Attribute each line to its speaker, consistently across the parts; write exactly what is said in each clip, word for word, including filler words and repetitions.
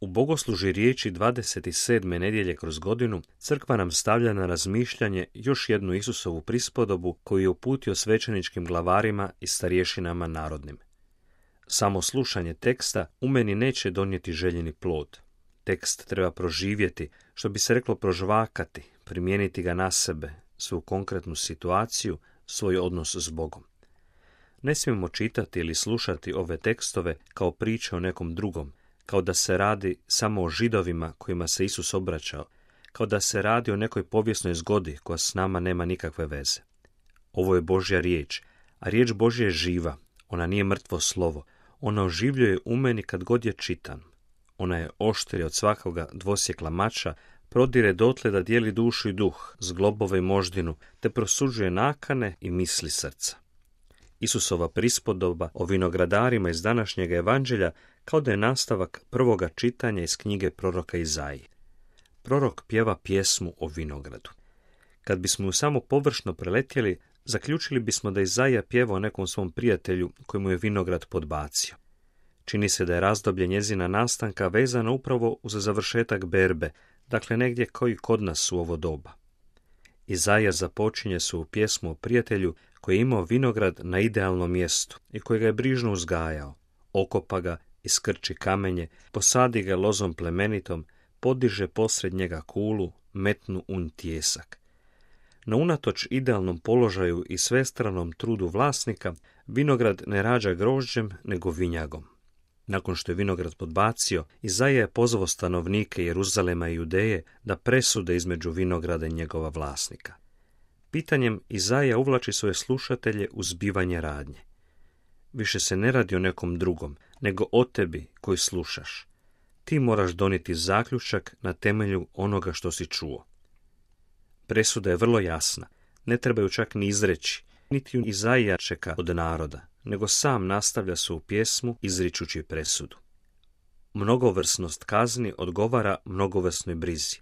Speaker 1: bogoslužju riječi dvadeset sedme nedjelje kroz godinu crkva nam stavlja na razmišljanje još jednu Isusovu prispodobu koju je uputio svećeničkim glavarima i starješinama narodnim. Samo slušanje teksta u meni neće donijeti željeni plod. Tekst treba proživjeti, što bi se reklo prožvakati, primijeniti ga na sebe, svoju konkretnu situaciju, svoj odnos s Bogom. Ne smijemo čitati ili slušati ove tekstove kao priče o nekom drugom, kao da se radi samo o Židovima kojima se Isus obraćao, kao da se radi o nekoj povijesnoj zgodi koja s nama nema nikakve veze. Ovo je Božja riječ, a riječ Božja je živa, ona nije mrtvo slovo, ona oživljuje u meni kad god je čitan. Ona je oštrija od svakoga dvosjekla mača, prodire dotle da dijeli dušu i duh, zglobove i moždinu, te prosuđuje nakane i misli srca. Isusova prispodoba o vinogradarima iz današnjeg evanđelja kao da je nastavak prvoga čitanja iz knjige proroka Izaije. Prorok pjeva pjesmu o vinogradu. Kad bismo ju samo površno preletjeli, zaključili bismo da Izaija pjeva o nekom svom prijatelju kojemu je vinograd podbacio. Čini se da je razdoblje njezina nastanka vezano upravo uz završetak berbe, dakle negdje kao i kod nas u ovo doba. Izaija započinje svoju pjesmu o prijatelju koji je imao vinograd na idealnom mjestu i koji ga je brižno uzgajao, okopa ga, iskrči kamenje, posadi ga lozom plemenitom, podiže posred njega kulu, metnu un tijesak. No unatoč idealnom položaju i svestranom trudu vlasnika, vinograd ne rađa grožđem, nego vinjagom. Nakon što je vinograd podbacio, Izaija je pozvao stanovnike Jeruzalema i Judeje da presude između vinograda i njegova vlasnika. Pitanjem Izaija uvlači svoje slušatelje u zbivanje radnje. Više se ne radi o nekom drugom, nego o tebi koji slušaš. Ti moraš donijeti zaključak na temelju onoga što si čuo. Presuda je vrlo jasna, ne trebaju čak ni izreći, niti ju Izaija čeka od naroda, nego sam nastavlja svoju pjesmu izričući presudu. Mnogovrsnost kazni odgovara mnogovrsnoj brizi.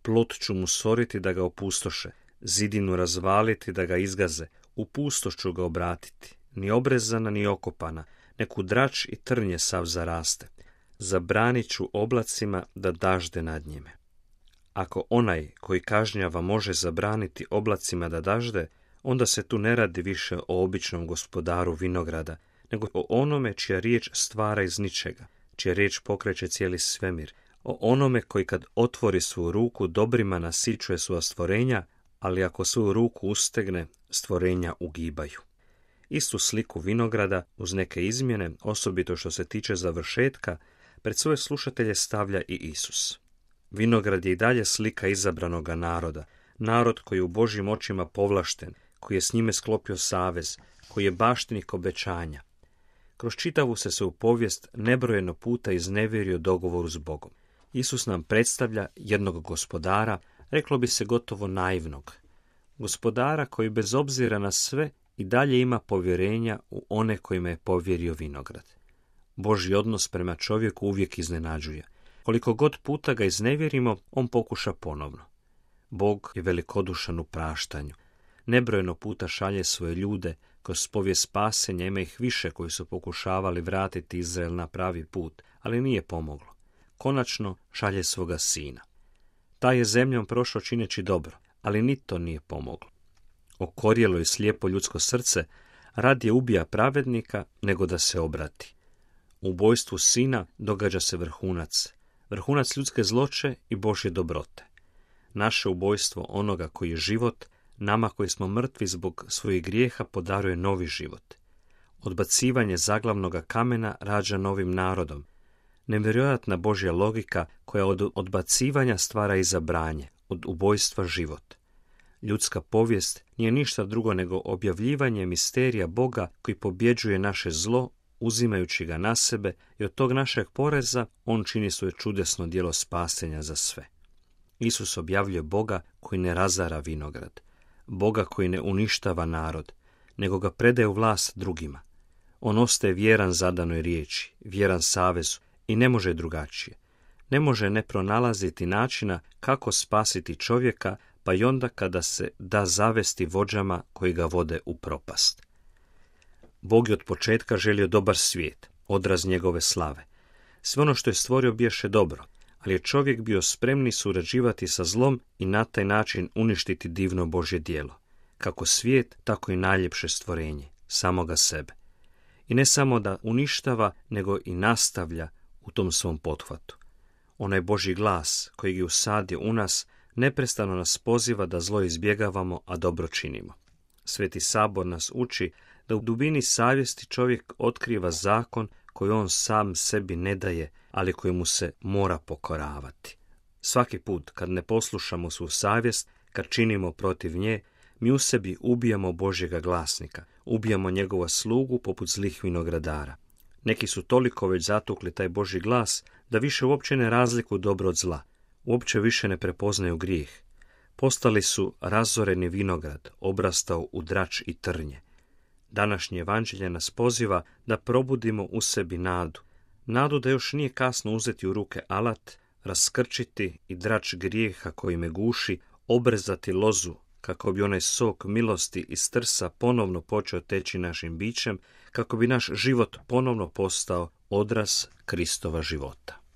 Speaker 1: Plot ću mu soriti da ga opustoše, zidinu razvaliti da ga izgaze, u pustoš ću ga obratiti, ni obrezana ni okopana, neku drač i trnje sav zaraste. Zabranit ću oblacima da dažde nad njime. Ako onaj koji kažnjava može zabraniti oblacima da dažde, onda se tu ne radi više o običnom gospodaru vinograda, nego o onome čija riječ stvara iz ničega, čija riječ pokreće cijeli svemir, o onome koji kad otvori svoju ruku dobrima nasićuje svoja stvorenja, ali ako svoju ruku ustegne, stvorenja ugibaju. Istu sliku vinograda, uz neke izmjene, osobito što se tiče završetka, pred svoje slušatelje stavlja i Isus. Vinograd je i dalje slika izabranoga naroda, narod koji je u Božjim očima povlašten, koji je s njime sklopio savez, koji je baštinik obećanja. Kroz čitavu se se u povijest nebrojeno puta iznevjerio dogovoru s Bogom. Isus nam predstavlja jednog gospodara, reklo bi se gotovo naivnog. Gospodara koji bez obzira na sve i dalje ima povjerenja u one kojima je povjerio vinograd. Božji odnos prema čovjeku uvijek iznenađuje. Koliko god puta ga iznevjerimo, on pokuša ponovno. Bog je velikodušan u praštanju. Nebrojeno puta šalje svoje ljude, kroz povijest spasenja ima ih više koji su pokušavali vratiti Izrael na pravi put, ali nije pomoglo. Konačno šalje svoga sina. Taj je zemljom prošao čineći dobro, ali ni to nije pomoglo. Okorjelo i slijepo ljudsko srce radije ubija pravednika nego da se obrati. U ubojstvu sina događa se vrhunac, vrhunac ljudske zloće i Božje dobrote. Naše ubojstvo onoga koji je život, nama koji smo mrtvi zbog svojih grijeha podaruje novi život. Odbacivanje zaglavnoga kamena rađa novim narodom. Nevjerojatna Božja logika koja od odbacivanja stvara izabranje, od ubojstva život. Ljudska povijest nije ništa drugo nego objavljivanje misterija Boga koji pobjeđuje naše zlo, uzimajući ga na sebe i od tog našeg poreza on čini svoje čudesno djelo spasenja za sve. Isus objavljuje Boga koji ne razara vinograd, Boga koji ne uništava narod, nego ga predaje u vlast drugima. On ostaje vjeran zadanoj riječi, vjeran savezu i ne može drugačije. Ne može ne pronalaziti načina kako spasiti čovjeka, pa i onda kada se da zavesti vođama koji ga vode u propast. Bog je od početka želio dobar svijet, odraz njegove slave. Sve ono što je stvorio biješe dobro, ali je čovjek bio spremni surađivati sa zlom i na taj način uništiti divno Božje djelo, kako svijet, tako i najljepše stvorenje, samoga sebe. I ne samo da uništava, nego i nastavlja u tom svom pothvatu. Onaj Božji glas koji je usadio u nas neprestano nas poziva da zlo izbjegavamo, a dobro činimo. Sveti Sabor nas uči da u dubini savjesti čovjek otkriva zakon koji on sam sebi ne daje, ali koji mu se mora pokoravati. Svaki put kad ne poslušamo svu savjest, kad činimo protiv nje, mi u sebi ubijamo Božjega glasnika, ubijamo njegova slugu poput zlih vinogradara. Neki su toliko već zatukli taj Božji glas da više uopće ne razlikuju dobro od zla, uopće više ne prepoznaju grijeh. Postali su razoreni vinograd, obrastao u drač i trnje. Današnje evanđelje nas poziva da probudimo u sebi nadu. Nadu da još nije kasno uzeti u ruke alat, raskrčiti i drač grijeha koji me guši, obrezati lozu kako bi onaj sok milosti iz trsa ponovno počeo teći našim bićem, kako bi naš život ponovno postao odraz Kristova života.